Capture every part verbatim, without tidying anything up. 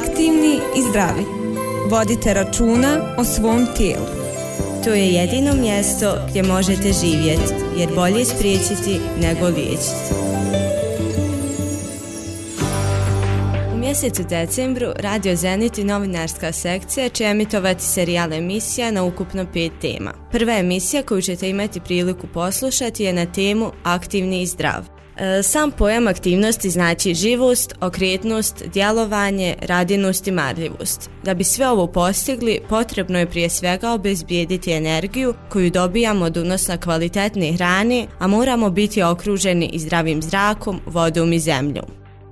Aktivni i zdravi. Vodite računa o svom tijelu. To je jedino mjesto gdje možete živjeti, jer bolje spriječiti nego liječiti. U mjesecu decembru Radio Zenit i novinarska sekcija će emitovati serijal emisija na ukupno pet tema. Prva emisija koju ćete imati priliku poslušati je na temu Aktivni i zdrav. Sam pojam aktivnosti znači živost, okretnost, djelovanje, radinost i marljivost. Da bi sve ovo postigli, potrebno je prije svega obezbijediti energiju koju dobijamo od unosa kvalitetne hrane, a moramo biti okruženi i zdravim zrakom, vodom i zemljom.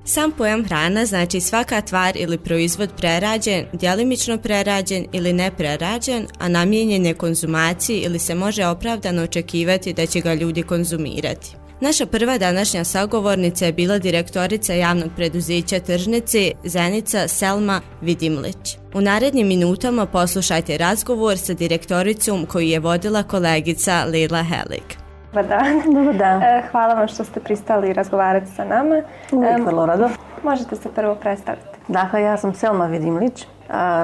Sam pojam hrana znači svaka tvar ili proizvod prerađen, djelimično prerađen ili neprerađen, a namijenjen je konzumaciji ili se može opravdano očekivati da će ga ljudi konzumirati. Naša prva današnja sagovornica je bila direktorica javnog preduzeća Tržnice Zenica Selma Vidimlić. U narednim minutama poslušajte razgovor sa direktoricom koju je vodila kolegica Lila Helig. Dobar dan. Dobar dan. Hvala vam što ste pristali razgovarati sa nama. Uvijek vrlo rado. Možete se prvo predstaviti. Dakle, ja sam Selma Vidimlić.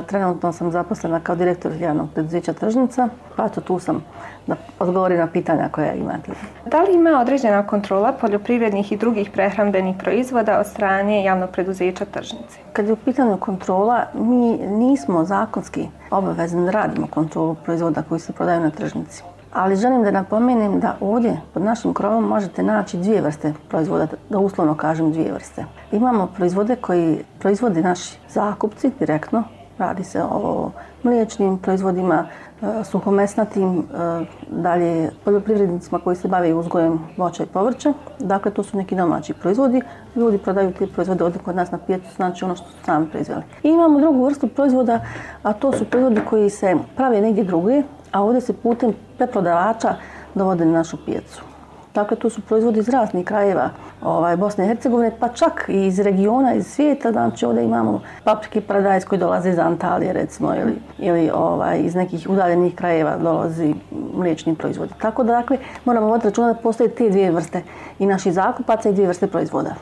Trenutno sam zaposlena kao direktor javnog preduzeća Tržnica, pa to tu sam da odgovorim na pitanja koja imate. Da li ima određena kontrola poljoprivrednih i drugih prehrambenih proizvoda od strane javnog preduzeća Tržnice? Kad je u pitanju kontrola, mi nismo zakonski obavezni da radimo kontrolu proizvoda koji se prodaju na tržnici. Ali želim da napomenem da ovdje pod našim krovom možete naći dvije vrste proizvoda, da uslovno kažem dvije vrste. Imamo proizvode koji proizvode naši zakupci direktno, radi se o mliječnim proizvodima, suhomesnatim, dalje poljoprivrednicima koji se bave uzgojem voća i povrća. Dakle, to su neki domaći proizvodi. Ljudi prodaju te proizvode ovdje kod nas na pijacu, znači ono što su sami proizveli. I imamo drugu vrstu proizvoda, a to su proizvodi koji se prave negdje drugdje, a ovdje se putem preprodavača dovode na našu pijacu. Dakle, to su proizvodi iz raznih krajeva ovaj, Bosne i Hercegovine, pa čak i iz regiona, iz svijeta. Znači, ovdje imamo paprike paradajz koji dolaze iz Antalije, recimo, ili, ili ovaj, iz nekih udaljenih krajeva dolazi mliječni proizvodi. Tako da, dakle, moramo voditi računa da postoje te dvije vrste i naših zakupaca i dvije vrste proizvoda.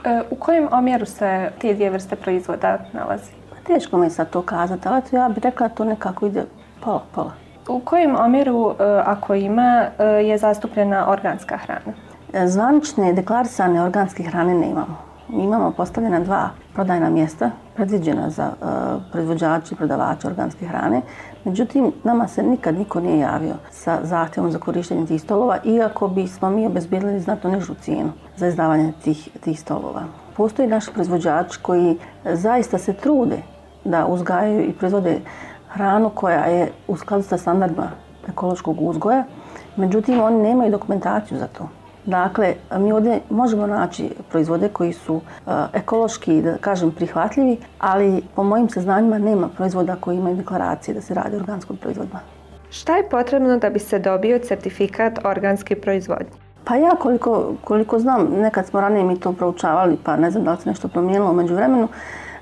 E, u kojem omjeru se te dvije vrste proizvoda nalazi? Teško mi je sad to kazati, ali ja bih rekla da to nekako ide pola, pola. U kojem omjeru, ako ima, je zastupljena organska hrana? Zvanične deklarisane organske hrane ne imamo. Imamo postavljena dva prodajna mjesta, predviđena za uh, proizvođače i prodavače organske hrane. Međutim, nama se nikad niko nije javio sa zahtjevom za korištenje tih stolova, iako bismo mi obezbijedili znatno nižu cijenu za izdavanje tih, tih stolova. Postoji naši proizvođači koji zaista se trude da uzgajaju i proizvode hranu koja je u skladu sa standardima ekološkog uzgoja, međutim oni nemaju dokumentaciju za to. Dakle, mi ovdje možemo naći proizvode koji su uh, ekološki, da kažem, prihvatljivi, ali po mojim saznanjima nema proizvoda koji imaju deklaracije da se radi o organskom proizvodima. Šta je potrebno da bi se dobio certifikat organske proizvodnje? Pa ja koliko, koliko znam, nekad smo ranije mi to proučavali, pa ne znam da li se nešto promijenilo u međuvremenu.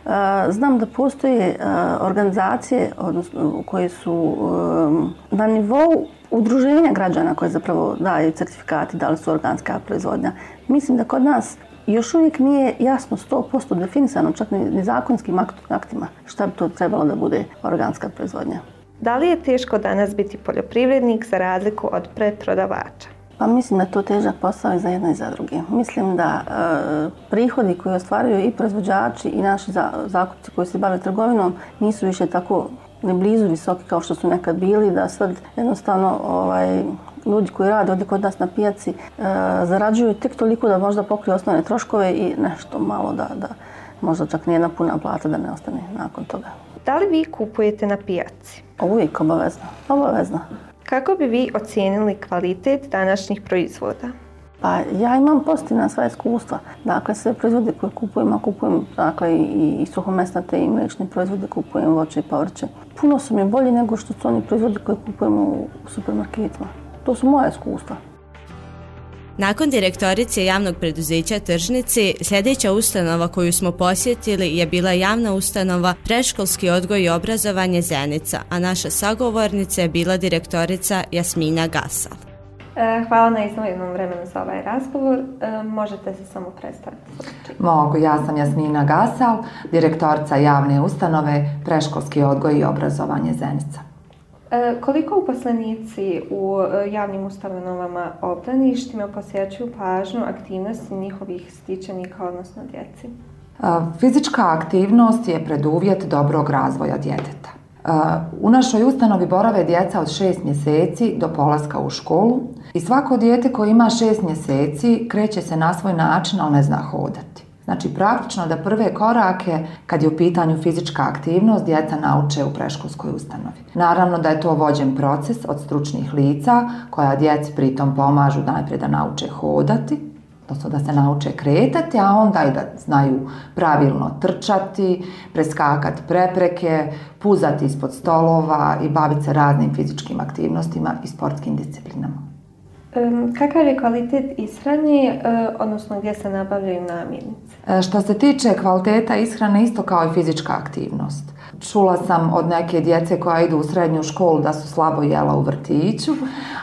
Uh, znam da postoje uh, organizacije odnosno, koje su um, na nivou udruženja građana koje zapravo daju certifikati da li su organska proizvodnja. Mislim da kod nas još uvijek nije jasno sto posto definisano, čak ni zakonskim aktima, šta bi to trebalo da bude organska proizvodnja. Da li je teško danas biti poljoprivrednik za razliku od preprodavača? Pa mislim da je to težak posao i za jedno i za druge. Mislim da e, prihodi koje ostvaruju i proizvođači i naši za, zakupci koji se bave trgovinom nisu više tako ne blizu visoki kao što su nekad bili, da sad jednostavno ovaj, ljudi koji rade ovdje kod nas na pijaci e, zarađuju tek toliko da možda pokriju osnovne troškove i nešto malo da, da možda čak nijedna puna plata da ne ostane nakon toga. Da li vi kupujete na pijaci? Uvijek obavezno, obavezno. Kako bi vi ocijenili kvalitet današnjih proizvoda? Pa ja imam pozitivna sva iskustva. Dakle, sve proizvode koje kupujem, a kupujem dakle, i, i suhomesnate i mliječne proizvode, kupujem voće i povrće. Puno su mi bolji nego što su oni proizvodi koje kupujem u, u supermarketima. To su moja iskustva. Nakon direktorice javnog preduzeća Tržnice, sljedeća ustanova koju smo posjetili je bila javna ustanova Predškolski odgoj i obrazovanje Zenica, a naša sagovornica je bila direktorica Jasmina Gasal. Hvala na izdvojenom vremenu za ovaj razgovor. Možete se samo predstaviti? Mogu, ja sam Jasmina Gasal, direktorica javne ustanove Predškolski odgoj i obrazovanje Zenica. Koliko uposlenici u javnim ustanovama obdaništima posjećuju pažnju aktivnosti njihovih stičenika, odnosno djeci? Fizička aktivnost je preduvjet dobrog razvoja djeteta. U našoj ustanovi borave djeca od šest mjeseci do polaska u školu i svako dijete koje ima šest mjeseci kreće se na svoj način, ali ne zna hodati. Znači praktično da prve korake kad je u pitanju fizička aktivnost djeca nauče u predškolskoj ustanovi. Naravno da je to vođen proces od stručnih lica koja djeci pritom pomažu najprije da nauče hodati, odnosno da se nauče kretati, a onda i da znaju pravilno trčati, preskakati prepreke, puzati ispod stolova i baviti se raznim fizičkim aktivnostima i sportskim disciplinama. Kakav je kvalitet ishrane, odnosno gdje se nabavljaju namirnice? Što se tiče kvaliteta ishrane, isto kao i fizička aktivnost. Čula sam od neke djece koja idu u srednju školu da su slabo jela u vrtiću,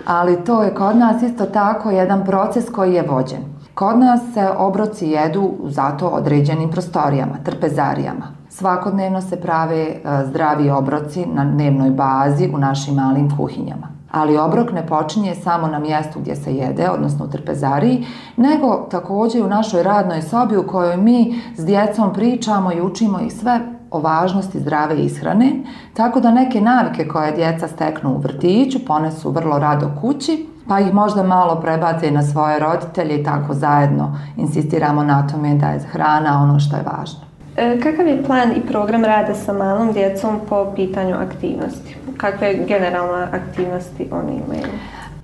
ali to je kod nas isto tako jedan proces koji je vođen. Kod nas se obroci jedu u zato određenim prostorijama, trpezarijama. Svakodnevno se prave zdravi obroci na dnevnoj bazi u našim malim kuhinjama. Ali obrok ne počinje samo na mjestu gdje se jede, odnosno u trpezariji, nego također u našoj radnoj sobi u kojoj mi s djecom pričamo i učimo ih sve o važnosti zdrave ishrane, tako da neke navike koje djeca steknu u vrtiću ponesu vrlo rado kući, pa ih možda malo prebace na svoje roditelje i tako zajedno insistiramo na tome da je hrana ono što je važno. Kakav je plan i program rada sa malom djecom po pitanju aktivnosti? Kakve generalne aktivnosti oni imaju?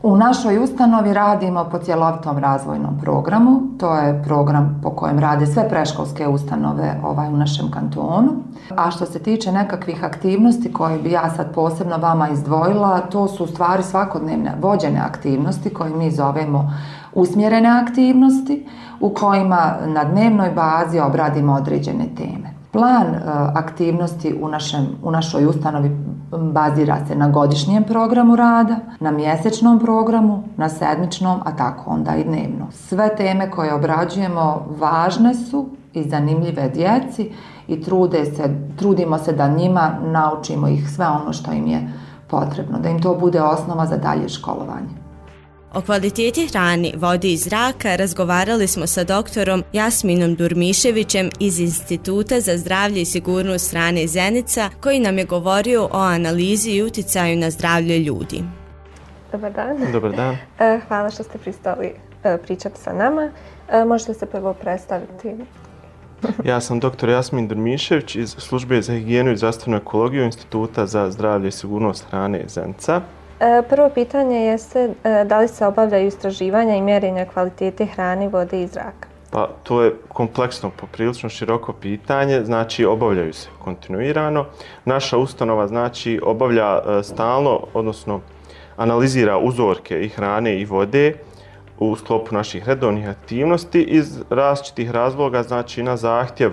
U našoj ustanovi radimo po cjelovitom razvojnom programu. To je program po kojem rade sve predškolske ustanove ovaj, u našem kantonu. A što se tiče nekakvih aktivnosti koje bi ja sad posebno vama izdvojila, to su u stvari svakodnevne vođene aktivnosti koje mi zovemo usmjerene aktivnosti u kojima na dnevnoj bazi obradimo određene teme. Plan uh, aktivnosti u, našem, u našoj ustanovi bazira se na godišnjem programu rada, na mjesečnom programu, na sedmičnom, a tako onda i dnevno. Sve teme koje obrađujemo važne su i zanimljive djeci i trude se, trudimo se da njima naučimo ih sve ono što im je potrebno, da im to bude osnova za dalje školovanje. O kvaliteti hrane, vodi i zraka razgovarali smo sa doktorom Jasminom Durmiševićem iz Instituta za zdravlje i sigurnost hrane Zenica, koji nam je govorio o analizi i utjecaju na zdravlje ljudi. Dobar dan. Dobar dan. Hvala što ste pristali pričati sa nama. Možete se prvo predstaviti? Ja sam doktor Jasmin Durmišević iz Službe za higijenu i zdravstvenu ekologiju Instituta za zdravlje i sigurnost hrane Zenica. Prvo pitanje jeste da li se obavljaju istraživanja i mjerenja kvalitete hrane, vode i zraka? Pa to je kompleksno, poprilično široko pitanje, znači obavljaju se kontinuirano. Naša ustanova znači obavlja stalno, odnosno analizira uzorke i hrane i vode u sklopu naših redovnih aktivnosti iz različitih razloga, znači na zahtjev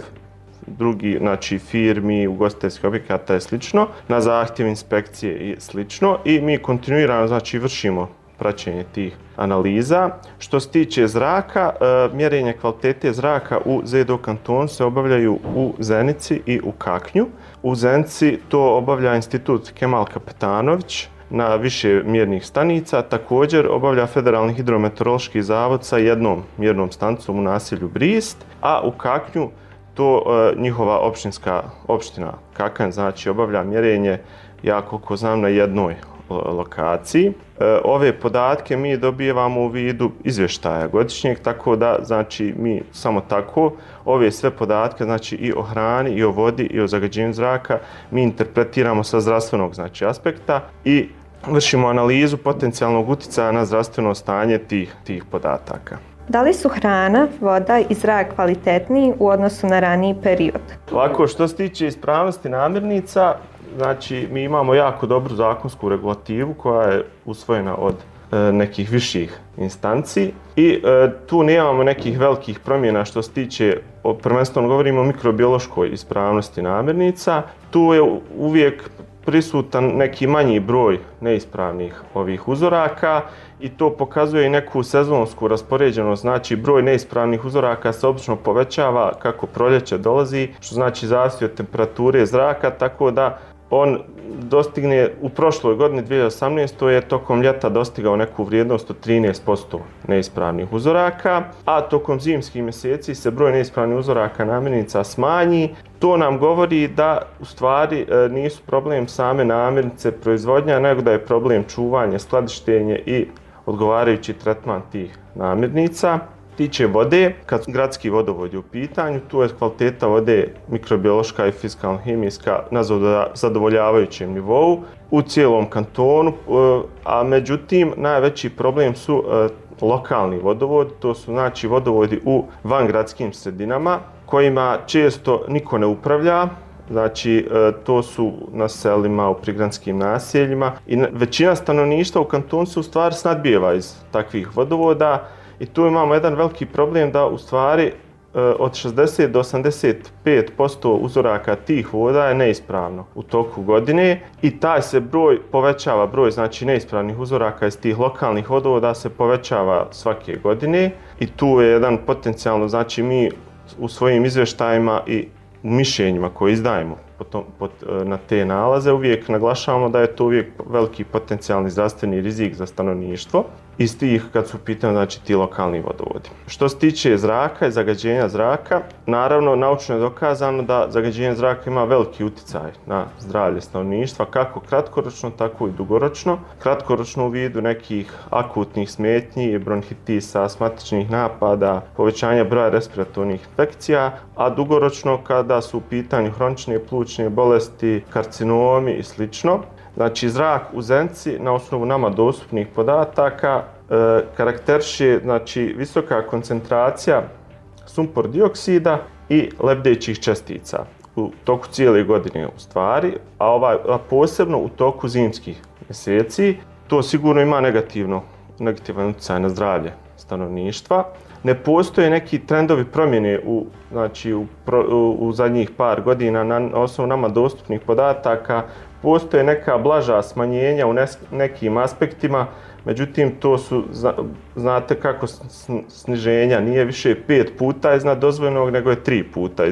drugi, znači firmi, ugostiteljskih objekata i slično, na zahtjev inspekcije i slično i mi kontinuirano znači vršimo praćenje tih analiza. Što se tiče zraka, mjerenje kvalitete zraka u Z D O kantonu se obavljaju u Zenici i u Kaknju. U Zenici to obavlja Institut Kemal Kapetanović na više mjernih stanica, također obavlja Federalni hidrometeorološki zavod sa jednom mjernom stanicom u naselju Brist, a u Kaknju to e, njihova općinska opština Kakanj znači obavlja mjerenje, ja koliko znam, na jednoj lokaciji. E, ove podatke mi dobijevamo u vidu izvještaja godišnjeg, tako da znači mi samo tako ove sve podatke, znači i o hrani, i o vodi, i o zagađenju zraka, mi interpretiramo sa zdravstvenog znači aspekta i vršimo analizu potencijalnog utjecaja na zdravstveno stanje tih, tih podataka. Da li su hrana, voda i zrak kvalitetniji u odnosu na raniji period? Ovako, što se tiče ispravnosti namirnica, znači mi imamo jako dobru zakonsku regulativu koja je usvojena od e, nekih viših instanci i e, tu nemamo nekih velikih promjena što se tiče, prvenstveno govorimo o mikrobiološkoj ispravnosti namirnica. Tu je uvijek prisutan neki manji broj neispravnih ovih uzoraka i to pokazuje i neku sezonsku raspoređenost, znači broj neispravnih uzoraka se obično povećava kako proljeće dolazi, što znači zavisi od temperature zraka, tako da on dostigne u prošloj godini dvije tisuće osamnaestoj je tokom ljeta dostigao neku vrijednost od trinaest posto neispravnih uzoraka, a tokom zimskih mjeseci se broj neispravnih uzoraka namirnica smanji. To nam govori da u stvari nisu problem same namirnice proizvodnja, nego da je problem čuvanje, skladištenje i odgovarajući tretman tih namirnica. Tiče vode, kad gradski vodovod je u pitanju, tu je kvaliteta vode mikrobiološka i fizikalno-hemijska na zadovoljavajućem nivou u cijelom kantonu, a međutim najveći problem su lokalni vodovod, to su znači vodovodi u vangradskim sredinama kojima često niko ne upravlja. Znači, to su na selima, u prigradskim naseljima i većina stanovništva u kantonu se u stvari snadbijeva iz takvih vodovoda. I tu imamo jedan veliki problem da u stvari od šezdeset do osamdeset pet posto uzoraka tih voda je neispravno u toku godine i taj se broj povećava, broj znači neispravnih uzoraka iz tih lokalnih vodovoda se povećava svake godine i tu je jedan potencijalno, znači mi u svojim izvještajima i mišljenjima koje izdajemo na te nalaze uvijek naglašavamo da je to uvijek veliki potencijalni zdravstveni rizik za stanovništvo iz tih kad su pitanje znači ti lokalni vodovodi. Što se tiče zraka i zagađenja zraka, naravno naučno je dokazano da zagađenje zraka ima veliki utjecaj na zdravlje stanovništva, kako kratkoročno, tako i dugoročno. Kratkoročno u vidu nekih akutnih smetnji, bronhitisa, astmatičnih napada, povećanja broja respiratornih infekcija, a dugoročno kada su u pitanju hronične plućne bolesti, karcinomi i slično. Znači, zrak u Zenici, na osnovu nama dostupnih podataka, e, karakteriše znači, visoka koncentracija sumpor dioksida i lebdećih čestica u toku cijele godine u stvari, a, ovaj, a posebno u toku zimskih mjeseci. To sigurno ima negativno, negativan utjecaj na zdravlje stanovništva. Ne postoje neki trendovi promjene u, znači, u, u, u zadnjih par godina na osnovu nama dostupnih podataka. Postoje neka blaža smanjenja u nekim aspektima, međutim to su, znate kako sniženja, nije više pet puta iznad dozvoljenog, nego je tri puta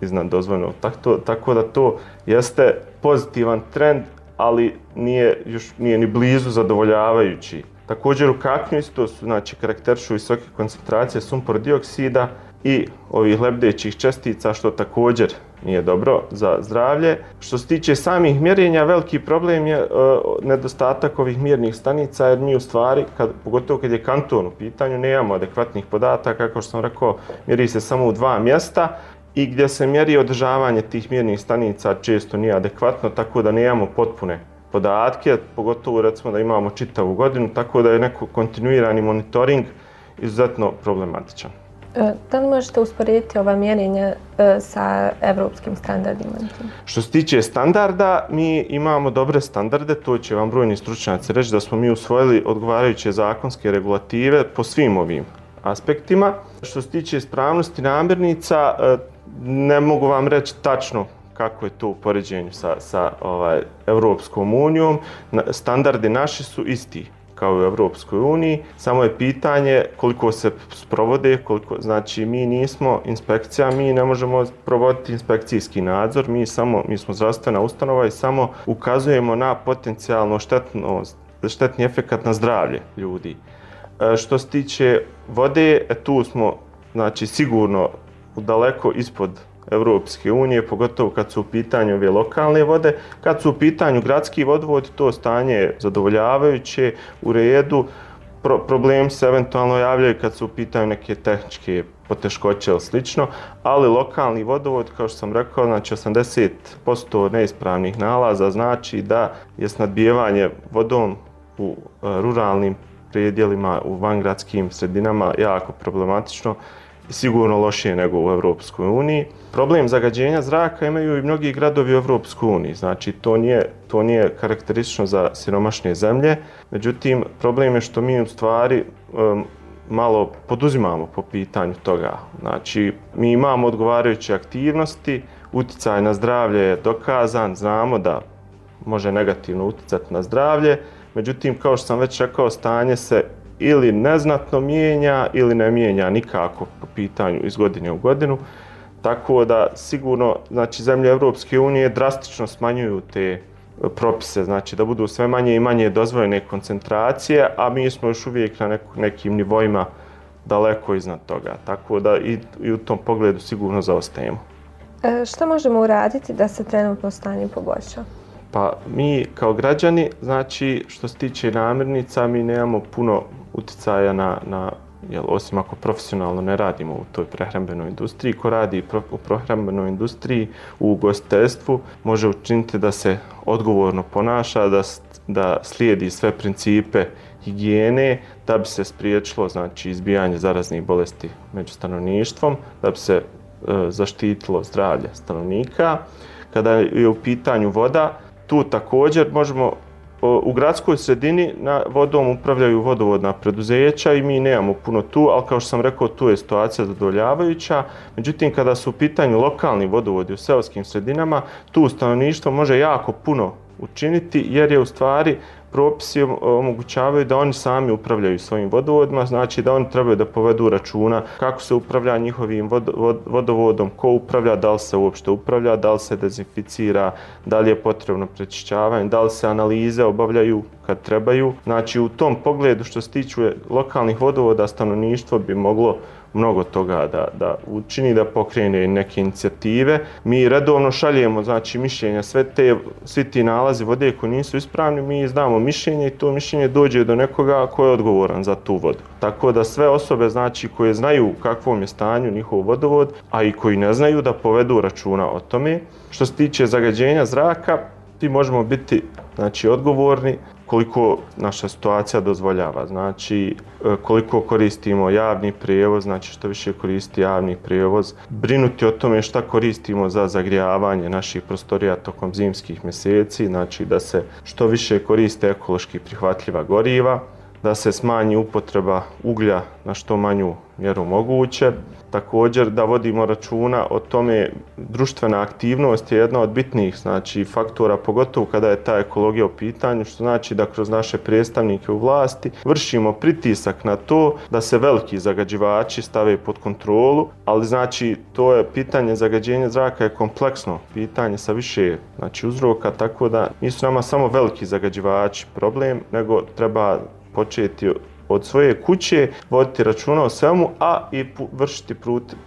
iznad dozvoljenog. Tako, tako da to jeste pozitivan trend, ali nije, još nije ni blizu zadovoljavajući. Također u kaknju isto su, znači, karakterišu visoke koncentracije sumpor dioksida i ovih lebdećih čestica, što također nije dobro za zdravlje. Što se tiče samih mjerenja, veliki problem je uh, nedostatak ovih mjernih stanica, jer mi u stvari, kad, pogotovo kad je kanton u pitanju, nemamo adekvatnih podataka, kao što sam rekao, mjeri se samo u dva mjesta i gdje se mjeri održavanje tih mjernih stanica često nije adekvatno, tako da nemamo potpune podatke, pogotovo recimo da imamo čitavu godinu, tako da je neko kontinuirani monitoring izuzetno problematičan. Da li možete usporediti ova mjerenja sa evropskim standardima? Što se tiče standarda, mi imamo dobre standarde, to će vam brojni stručnjaci reći da smo mi usvojili odgovarajuće zakonske regulative po svim ovim aspektima. Što se tiče ispravnosti namirnica, ne mogu vam reći tačno kako je to u poređenju sa, sa ovaj, Europskom unijom. Standardi naši su isti kao u Europskoj uniji, samo je pitanje koliko se sprovode, koliko, znači mi nismo inspekcija, mi ne možemo provoditi inspekcijski nadzor, mi, samo, mi smo zdravstvena ustanova i samo ukazujemo na potencijalno štetno, štetni efekat na zdravlje ljudi. E, što se tiče vode, e, tu smo znači, sigurno daleko ispod Europske unije, pogotovo kad su u pitanju ove lokalne vode. Kad su u pitanju gradski vodovod, to stanje je zadovoljavajuće, u redu. Pro, problem se eventualno javljaju kad su u pitanju neke tehničke poteškoće ili slično, ali lokalni vodovod, kao što sam rekao, znači osamdeset posto neispravnih nalaza znači da je snadbijevanje vodom u ruralnim predjelima, u vangradskim sredinama jako problematično i sigurno lošije nego u Europskoj uniji. Problem zagađenja zraka imaju i mnogi gradovi u Europskoj uniji, znači to nije, to nije karakteristično za siromašne zemlje, međutim problem je što mi u stvari um, malo poduzimamo po pitanju toga. Znači mi imamo odgovarajuće aktivnosti, utjecaj na zdravlje je dokazan, znamo da može negativno utjecati na zdravlje. Međutim, kao što sam već rekao, stanje se ili neznatno mijenja ili ne mijenja nikako po pitanju iz godine u godinu. Tako da sigurno, znači, zemlje Europske unije drastično smanjuju te propise, znači da budu sve manje i manje dozvoljene koncentracije, a mi smo još uvijek na neku, nekim nivoima daleko iznad toga. Tako da i, i u tom pogledu sigurno zaostajemo. E, šta možemo uraditi da se trenutno stanje poboljša? Pa mi kao građani, znači što se tiče namirnica, mi nemamo puno utjecaja na, na jel, osim ako profesionalno ne radimo u toj prehrambenoj industriji. Ko radi u prehrambenoj industriji, u ugostiteljstvu, može učiniti da se odgovorno ponaša, da, da slijedi sve principe higijene, da bi se spriječilo, znači, izbijanje zaraznih bolesti među stanovništvom, da bi se e, zaštitilo zdravlje stanovnika. Kada je u pitanju voda, tu također možemo, u gradskoj sredini na vodom upravljaju vodovodna preduzeća i mi nemamo puno tu, ali kao što sam rekao, tu je situacija zadovoljavajuća. Međutim, kada su u pitanju lokalni vodovodi u seoskim sredinama, tu stanovništvo može jako puno učiniti, jer je u stvari propisi omogućavaju da oni sami upravljaju svojim vodovodima, znači da oni trebaju da povedu računa kako se upravlja njihovim vodovodom, ko upravlja, da li se uopšte upravlja, da li se dezinficira, da li je potrebno prečišćavanje, da li se analize obavljaju kad trebaju. Znači, u tom pogledu što se tiče lokalnih vodovoda, stanovništvo bi moglo mnogo toga da, da učini, da pokrene neke inicijative. Mi redovno šaljemo, znači, mišljenja, sve te, svi ti nalazi vode koji nisu ispravni, mi izdamo mišljenje i to mišljenje dođe do nekoga ko je odgovoran za tu vodu. Tako da sve osobe, znači, koje znaju u kakvom je stanju njihov vodovod, a i koji ne znaju, da povedu računa o tome. Što se tiče zagađenja zraka, ti možemo biti, znači, odgovorni koliko naša situacija dozvoljava. Znači, koliko koristimo javni prijevoz, znači što više koristi javni prijevoz, brinuti o tome šta koristimo za zagrijavanje naših prostorija tokom zimskih mjeseci, znači da se što više koriste ekološki prihvatljiva goriva, da se smanji upotreba uglja na što manju mjeru moguće. Također da vodimo računa o tome, društvena aktivnost je jedna od bitnijih, znači, faktora, pogotovo kada je ta ekologija u pitanju, što znači da kroz naše predstavnike u vlasti vršimo pritisak na to da se veliki zagađivači stave pod kontrolu, ali znači to je pitanje zagađenja zraka je kompleksno pitanje sa više, znači, uzroka, tako da nisu nama samo veliki zagađivači problem, nego treba početi od svoje kuće, voditi računa o svemu, a i vršiti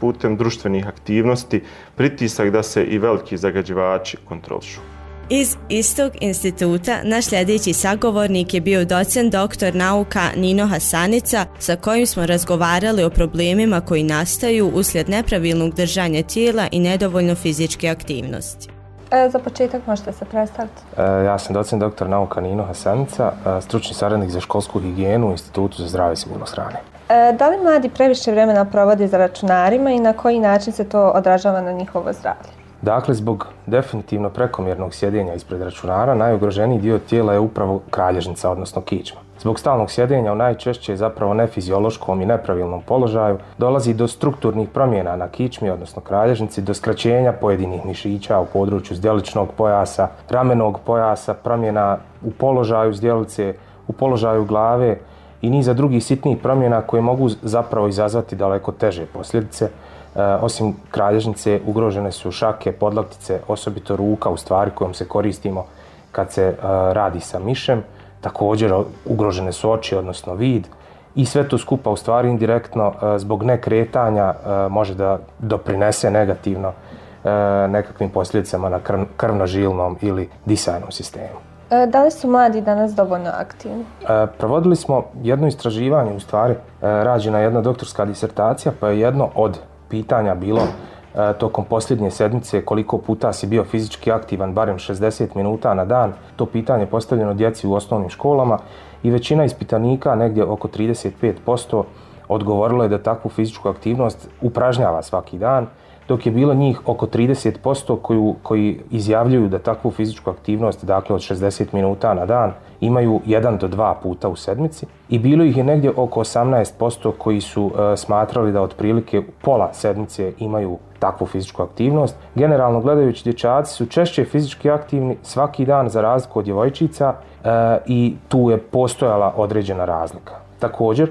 putem društvenih aktivnosti pritisak da se i veliki zagađivači kontrolišu. Iz istog instituta naš sljedeći sagovornik je bio docent doktor nauka Nino Hasanica, sa kojim smo razgovarali o problemima koji nastaju uslijed nepravilnog držanja tijela i nedovoljno fizičke aktivnosti. E, za početak možete se predstaviti. E, ja sam docent doktor nauka Nino Hasanica, stručni saradnik za školsku higijenu u Institutu za zdravlje i sigurnost hrane. E, da li mladi previše vremena provode za računarima i na koji način se to odražava na njihovo zdravlje? Dakle, zbog definitivno prekomjernog sjedenja ispred računara, najugroženiji dio tijela je upravo kralježnica, odnosno kičma. Zbog stalnog sjedenja u najčešće zapravo nefiziološkom i nepravilnom položaju dolazi do strukturnih promjena na kičmi, odnosno kralježnici, do skraćenja pojedinih mišića u području zdjeličnog pojasa, ramenog pojasa, promjena u položaju zdjelice, u položaju glave i niza drugih sitnijih promjena koje mogu zapravo izazvati daleko teže posljedice. E, osim kralježnice, ugrožene su šake, podlaktice, osobito ruka, u stvari kojom se koristimo kad se e, radi sa mišem. Također ugrožene su oči, odnosno vid, i sve to skupa u stvari indirektno e, zbog nekretanja e, može da doprinese negativno e, nekakvim posljedicama na krv, krvno-žilnom ili disajnom sistemu. E, da li su mladi danas dovoljno aktivni? E, provodili smo jedno istraživanje, u stvari e, rađena jedna doktorska disertacija, pa je jedno od pitanja bilo e, tokom posljednje sedmice koliko puta si bio fizički aktivan, barem šezdeset minuta na dan. To pitanje je postavljeno djeci u osnovnim školama i većina ispitanika, negdje oko trideset pet posto, odgovorilo je da takvu fizičku aktivnost upražnjava svaki dan. dok je bilo njih oko trideset posto koju, koji izjavljuju da takvu fizičku aktivnost, dakle od šezdeset minuta na dan, imaju jedan do dva puta u sedmici i bilo ih je negdje oko osamnaest posto koji su e, smatrali da otprilike pola sedmice imaju takvu fizičku aktivnost. Generalno gledajući, dječaci su češće fizički aktivni svaki dan za razliku od djevojčica e, i tu je postojala određena razlika. Također,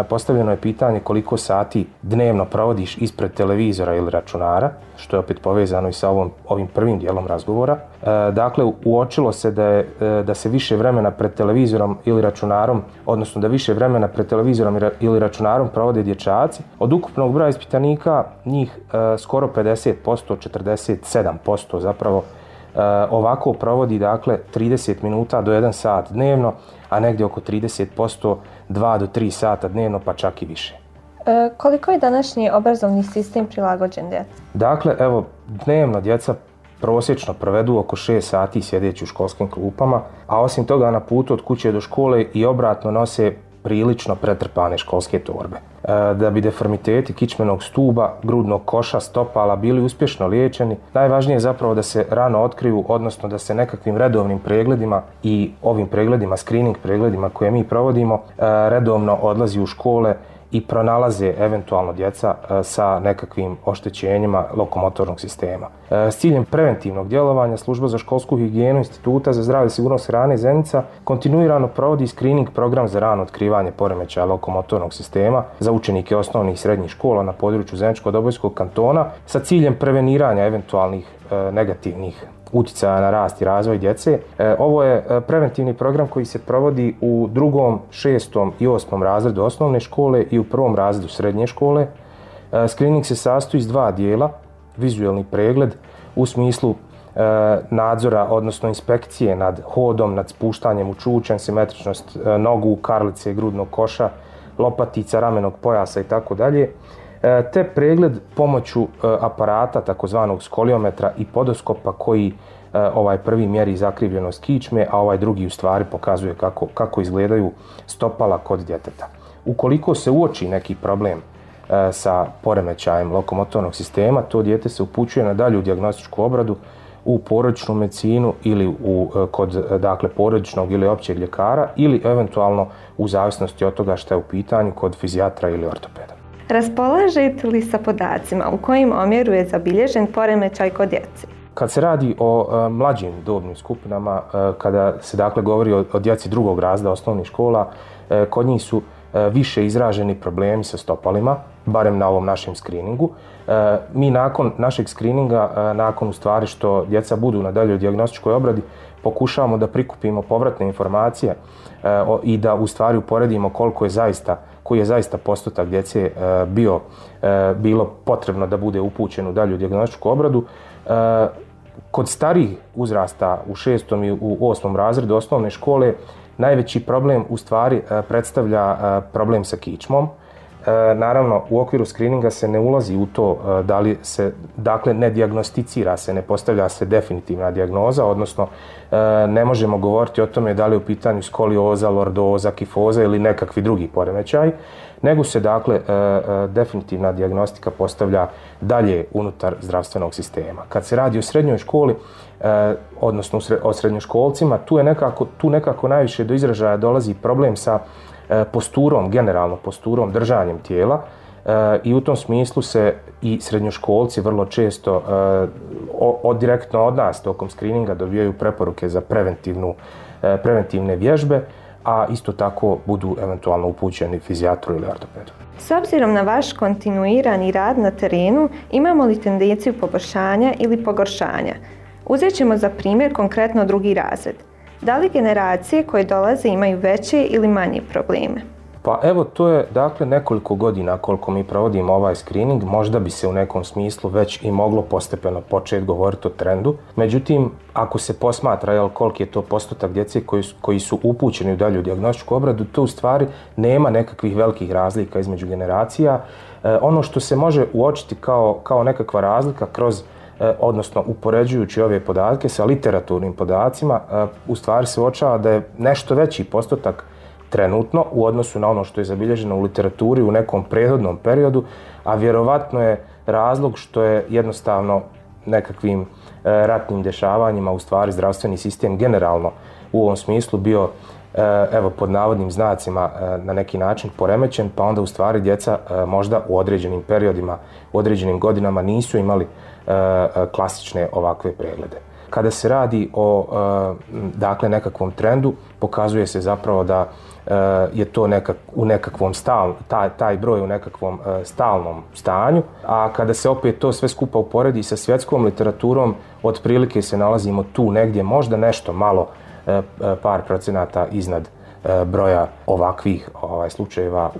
postavljeno je pitanje koliko sati dnevno provodiš ispred televizora ili računara, što je opet povezano i sa ovom, ovim prvim dijelom razgovora. E, dakle, uočilo se da, je, da se više vremena pred televizorom ili računarom, odnosno da više vremena pred televizorom ili računarom provode dječaci. Od ukupnog broja ispitanika njih e, skoro pedeset posto, četrdeset sedam posto zapravo e, ovako provodi, dakle, trideset minuta do jedan sat dnevno, a negdje oko trideset posto dva do tri sata dnevno, pa čak i više. E, koliko je današnji obrazovni sistem prilagođen djeci? Dakle, evo, dnevno djeca prosječno provedu oko šest sati sjedeći u školskim klupama, a osim toga na putu od kuće do škole i obratno nose prilično pretrpane školske torbe. E, da bi deformiteti kičmenog stuba, grudnog koša, stopala bili uspješno liječeni, najvažnije je zapravo da se rano otkriju, odnosno da se nekakvim redovnim pregledima i ovim pregledima, screening pregledima koje mi provodimo, e, redovno odlazi u škole i pronalaze eventualno djeca sa nekakvim oštećenjima lokomotornog sistema. S ciljem preventivnog djelovanja Služba za školsku higijenu Instituta za zdravlje i sigurnost hrane Zenica kontinuirano provodi screening program za rano otkrivanje poremećaja lokomotornog sistema za učenike osnovnih i srednjih škola na području Zeničko-Dobojskog kantona sa ciljem preveniranja eventualnih e, negativnih utjecaja na rast i razvoj djece. E, ovo je preventivni program koji se provodi u drugom, šestom i osmom razredu osnovne škole i u prvom razredu srednje škole. E, screening se sastoji iz dva dijela, vizualni pregled u smislu e, nadzora, odnosno inspekcije nad hodom, nad spuštanjem u čučanj, simetričnost e, nogu, karlice, grudnog koša, lopatica, ramenog pojasa i tako dalje. Te pregled pomoću aparata takozvanog skoliometra i podoskopa koji ovaj prvi mjeri zakrivljenost kičme, a ovaj drugi u stvari pokazuje kako, kako izgledaju stopala kod djeteta. Ukoliko se uoči neki problem sa poremećajem lokomotornog sistema, to dijete se upućuje na dalju dijagnostičku obradu u porodičnu medicinu ili u, kod dakle, porodičnog ili općeg ljekara ili eventualno u zavisnosti od toga što je u pitanju kod fizijatra ili ortopeda. Raspolažete li sa podacima u kojim omjeru je zabilježen poremećaj kod djece? Kad se radi o e, mlađim dobnim skupinama, e, kada se dakle govori o, o djeci drugog razreda osnovnih škola, e, kod njih su e, više izraženi problemi sa stopalima, barem na ovom našem screeningu. E, mi nakon našeg screeninga, e, nakon u stvari što djeca budu na daljoj dijagnostičkoj obradi, pokušavamo da prikupimo povratne informacije e, o, i da u stvari uporedimo koliko je zaista koji je zaista postotak djece e, bio, e, bilo potrebno da bude upućen u dalju dijagnostičku obradu. E, kod starijih uzrasta u šestom i u osmom razredu osnovne škole najveći problem u stvari e, predstavlja e, problem sa kičmom. E, naravno, u okviru screeninga se ne ulazi u to e, da li se, dakle, ne dijagnosticira se, ne postavlja se definitivna dijagnoza, odnosno e, ne možemo govoriti o tome da li je u pitanju skolioza, lordoza, kifoza ili nekakvi drugi poremećaj, nego se, dakle, e, e, definitivna dijagnostika postavlja dalje unutar zdravstvenog sistema. Kad se radi o srednjoj školi, e, odnosno o srednjoškolcima, tu je nekako, tu nekako najviše do izražaja dolazi problem sa posturom, generalno posturom, držanjem tijela e, i u tom smislu se i srednjoškolci vrlo često e, od, direktno od nas tokom screeninga dobijaju preporuke za preventivnu, e, preventivne vježbe, a isto tako budu eventualno upućeni fizijatru ili ortopedu. S obzirom na vaš kontinuirani rad na terenu, imamo li tendenciju poboljšanja ili pogoršanja? Uzet ćemo za primjer konkretno drugi razred. Da li generacije koje dolaze imaju veće ili manje probleme? Pa evo, to je dakle nekoliko godina koliko mi provodimo ovaj screening, možda bi se u nekom smislu već i moglo postepeno početi govoriti o trendu. Međutim, ako se posmatra jel, koliki je to postotak djece koji su, koji su upućeni u dalju dijagnostičku obradu, to u stvari nema nekakvih velikih razlika između generacija. E, ono što se može uočiti kao, kao nekakva razlika kroz odnosno upoređujući ove podatke sa literaturnim podacima, u stvari se uočava da je nešto veći postotak trenutno u odnosu na ono što je zabilježeno u literaturi u nekom prethodnom periodu, a vjerovatno je razlog što je jednostavno nekakvim e, ratnim dešavanjima u stvari zdravstveni sistem generalno u ovom smislu bio e, evo pod navodnim znacima e, na neki način poremećen, pa onda u stvari djeca e, možda u određenim periodima, u određenim godinama nisu imali e, klasične ovakve preglede. Kada se radi o e, dakle nekakvom trendu, pokazuje se zapravo da je to nekak, u nekakvom stal, taj, taj broj u nekakvom uh, stalnom stanju, a kada se opet to sve skupa uporedi sa svjetskom literaturom, otprilike se nalazimo tu negdje, možda nešto malo, uh, par procenata iznad uh, broja ovakvih ovaj, slučajeva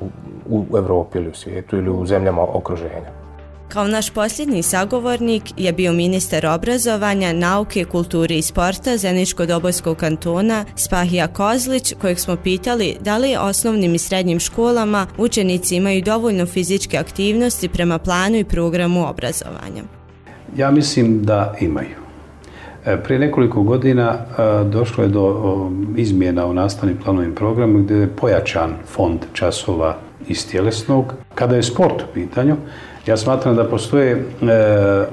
u, u Evropi ili u svijetu ili u zemljama okruženja. Kao naš posljednji sagovornik je bio ministar obrazovanja, nauke, kulture i sporta Zeničko-Dobojskog kantona Spahija Kozlić, kojeg smo pitali da li osnovnim i srednjim školama učenici imaju dovoljno fizičke aktivnosti prema planu i programu obrazovanja. Ja mislim da imaju. Prije nekoliko godina došlo je do izmjena u nastavnim planovim programima gdje je pojačan fond časova iz tjelesnog. Kada je sport u pitanju, ja smatram da postoje e,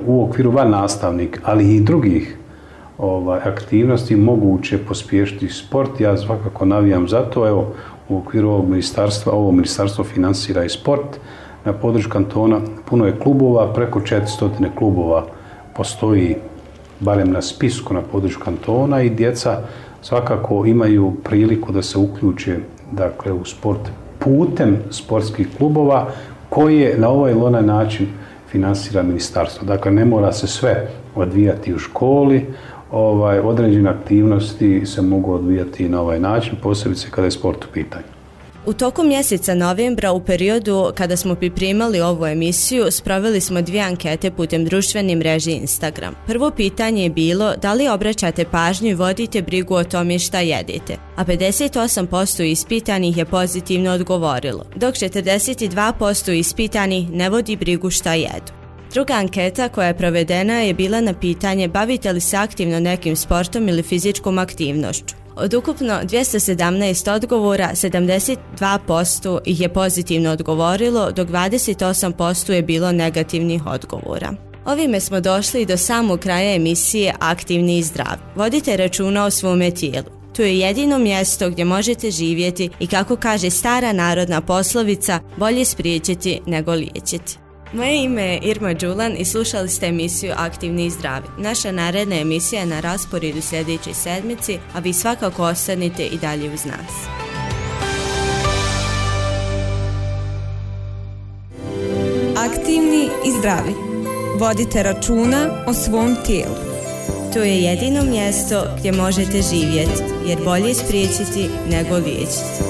u okviru van nastavnik, ali i drugih ovaj, aktivnosti moguće pospješiti sport. Ja svakako navijam za to. Evo, u okviru ovog ministarstva, ovo ministarstvo financira i sport. Na području kantona puno je klubova, preko četiristo klubova postoji barem na spisku na području kantona i djeca svakako imaju priliku da se uključe dakle, u sport putem sportskih klubova koje na ovaj ili onaj način finansira ministarstvo. Dakle, ne mora se sve odvijati u školi, ovaj, određene aktivnosti se mogu odvijati na ovaj način, posebice kada je sport u pitanju. U toku mjeseca novembra, u periodu kada smo pripremali ovu emisiju, sproveli smo dvije ankete putem društvene mreže Instagram. Prvo pitanje je bilo da li obraćate pažnju i vodite brigu o tome šta jedete, a pedeset osam posto ispitanih je pozitivno odgovorilo, dok četrdeset dva posto ispitanih ne vodi brigu šta jedu. Druga anketa koja je provedena je bila na pitanje bavite li se aktivno nekim sportom ili fizičkom aktivnošću. Od ukupno dvjesto sedamnaest odgovora, sedamdeset dva posto ih je pozitivno odgovorilo, dok dvadeset osam posto je bilo negativnih odgovora. Ovime smo došli do samog kraja emisije Aktivni i zdravi. Vodite računa o svome tijelu. To je jedino mjesto gdje možete živjeti i kako kaže stara narodna poslovica, bolje spriječiti nego liječiti. Moje ime je Irma Đulan i slušali ste emisiju Aktivni i zdravi. Naša naredna emisija je na rasporedu sljedećoj sedmici, a vi svakako ostanite i dalje uz nas. Aktivni i zdravi. Vodite računa o svom tijelu. To je jedino mjesto gdje možete živjeti, jer bolje spriječiti nego liječiti.